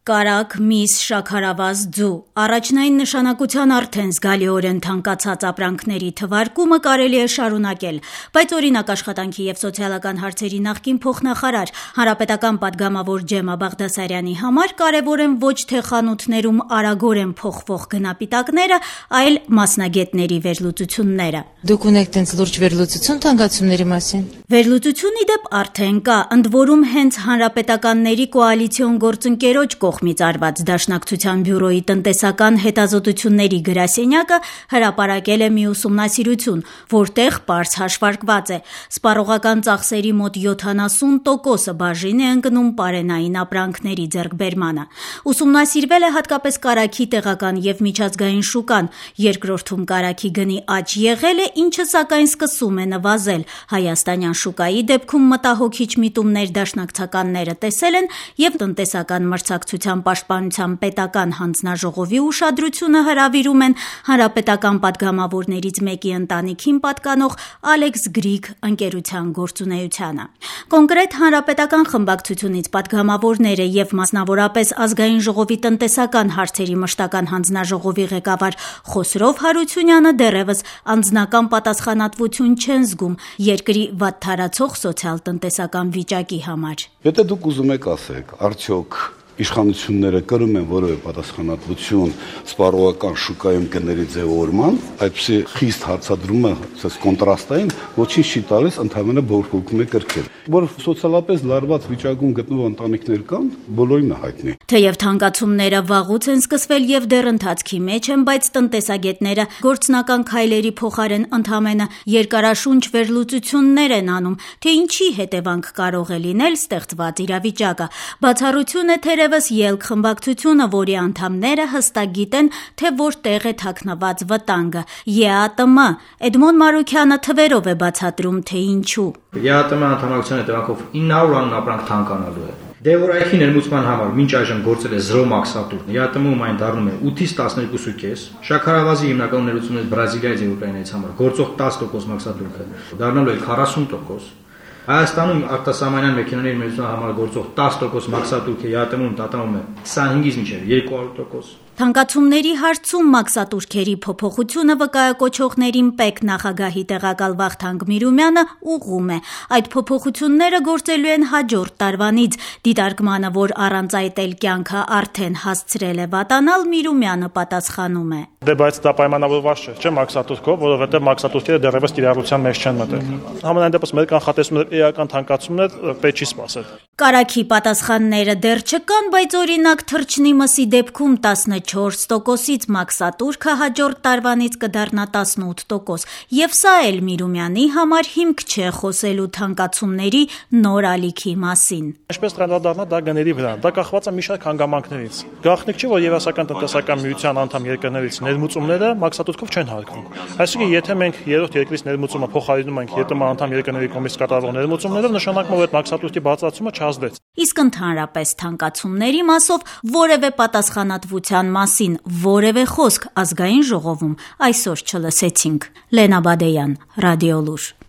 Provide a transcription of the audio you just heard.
կարագ, միս, շաքարավազ, ձու։ Առաջնային նշանակության արդեն զգալիորեն թանկացած ապրանքների թվարկումը կարելի է շարունակել, բայց օրինակ աշխատանքի և սոցիալական հարցերի նախկին փոխնախարար, հանրապետական պատգամավոր Ջեմա Բաղդասարյանի համար կարևոր են ոչ թե խանութներում արագորեն փոխվող գնապիտակները, այլ մասնագետների վերլուծությունները։ Դուք ունեք տենց լուրջ վերլուծություն թանկացումների մասին։ Վերլուծություն ի դեպ արդեն կա, ընդ որում հենց հանրապետականների կոալիցիոն գործընկերոջ կողմից արված Դաշնակցության բյուրոյի տնտեսական հետազոտությունների գրասենյակը հրապարակել է մի ուսումնասիրություն, որտեղ պարզ հաշվարկված է. սպառողական ծախսերի մոտ 70%-ը բաժին է ընկնում պարենային ապրանքների ձեռքբերմանը։ Ուսումնասիրվել է հատկապես կարագի տեղական և միջազգային շուկան, երկրորդում կարագի գնի աճ եղել է, ինչը սակայն սկսում է նվազել։ Հայաստանյան շուկայի դեպքում մտահոգիչ միտումներ դաշնակցականները տեսել են և տնտեսական մրցակցության պաշտպանության պետական հանձնաժողովի ուշադրությունը հրավիրում են հանրապետական պատգամավորներից մեկի ընտանիքին պատկանող Ալեքս Գրիգ ընկերության գործունեությանը։ Կոնկրետ հանրապետական խմբակցությունից պատգամավորները և մասնավորապես Ազգային ժողովի տնտեսական հարցերի մշտական հանձնաժողովի ղեկավար Խոսրով Հարությունյանը դեռևս անձնական պատասխանատվություն չեն զգում երկրի վատթարացող սոցիալ-տնտեսական վիճակի համար։ Եթե դուք ուզում եք ասեք, արդյոք իշխանությունները կրում են որևէ պատասխանատվություն սպառողական շուկայում գների ձևավորման, այդպիսի խիստ հարցադրումը կոնտրաստային ոչինչ չի տալիս, ընդհանրապես բորբոքում է կրկել։ Որ սոցիալապես լարված վիճակում գտնվող ընտանիքներ կան, բոլորին է հայտնի։ Թեև թանկացումները վաղուց են սկսվել և դեռ ընթացքի մեջ են, բայց տնտեսագետները գործնական քայլերի փոխարեն ընդամենը երկարաշունչ վերլուծություններ են անում, թե ինչի հետևանք կարող է լինել ստեղծված իրավիճակը։ Բացառություն է թերևս ելք խմբակցությունը, որի անդամները հստակ գիտեն, թե որտեղ է թաքնված վտանգը։ ԵԱՏՄ Էդմոն Մարուքյանը թվերով է բացատրում, թե ինչու։ ԵԱՏՄ անդամակցության հետևանքով 900 անուն ապրանք թանկանալու է։ Դեվորայքի ներմուծման համար մինչ այժմ գործել է 0 մաքսատուր, ԵԱՏՄ-ում այն դառնում է 8-ից 12.5, շաքարավազի հիմնական ներմուծումից Բրազիլիայից և Ուկրաինայից համար գործող 10% մաքսատուրքը դառնալու է 40%։ Հայաստանում արտասահմանյան մեքենաների ներմուծման համար գործող 10% մաքսատուրքը ԵԱՏՄ-ում տատանվում է 25-ից մինչև 200%։ Թանկացումների հարցում մաքսատուրքերի փոփոխությունը վկայակոչողներին ՊԵԿ նախագահի տեղակալ Վախթանգ Միրումյանը ուղղում է։ Այդ փոփոխությունները գործելու են հաջորդ տարվանից։ Դիտարկմանը, որ առանց այդ էլ կյանքը արդեն հասցրել է վատանալ, Միրումյանը պատասխանում է. Բայց դա պայմանավորված չէ մաքսատուրքով, որովհետև մաքսատուրքերը դեռևս կիրառության մեջ չեն մտել։ Համենայն դեպս մեր կանխատեսումները էական թանկացումներ պետք չի սպասել։ Կարագի պատասխանները դեռ չկան, բայց օրինակ թռչնի մսի դեպքում 14%-ից մաքսատուրքը հաջորդ տարվանից կդառնա 18%, և սա էլ Միրումյանի համար հիմք չէ խոսելու թանկացումների նոր ալիքի մասին։ Ինչպես անդրադառնա դա գների վրա, դա կախված է մի շարք հանգամանքներից։ Գաղտնիք չէ, որ Եվրասիական տնտեսական միության անդամ երկրներից ներմուծումները մաքսատուրքով չեն հարկվում։ Այսինքն, եթե մենք երրորդ երկրից ներմուծումը փոխարինում ենք ԵՏՄ անդամ երկրների կողմից կատարվող ներմուծումներով, նշանակում է, որ մաքսատուրքի բարձրացումը չազդեց։ Իսկ ընդհանրապես թանկացումների մասով որևէ պատասխանատվության մասին որևէ խոսք Ազգային ժողովում այսօր չլսեցինք։ Լենա Բադեյան, Ռադիոլուր։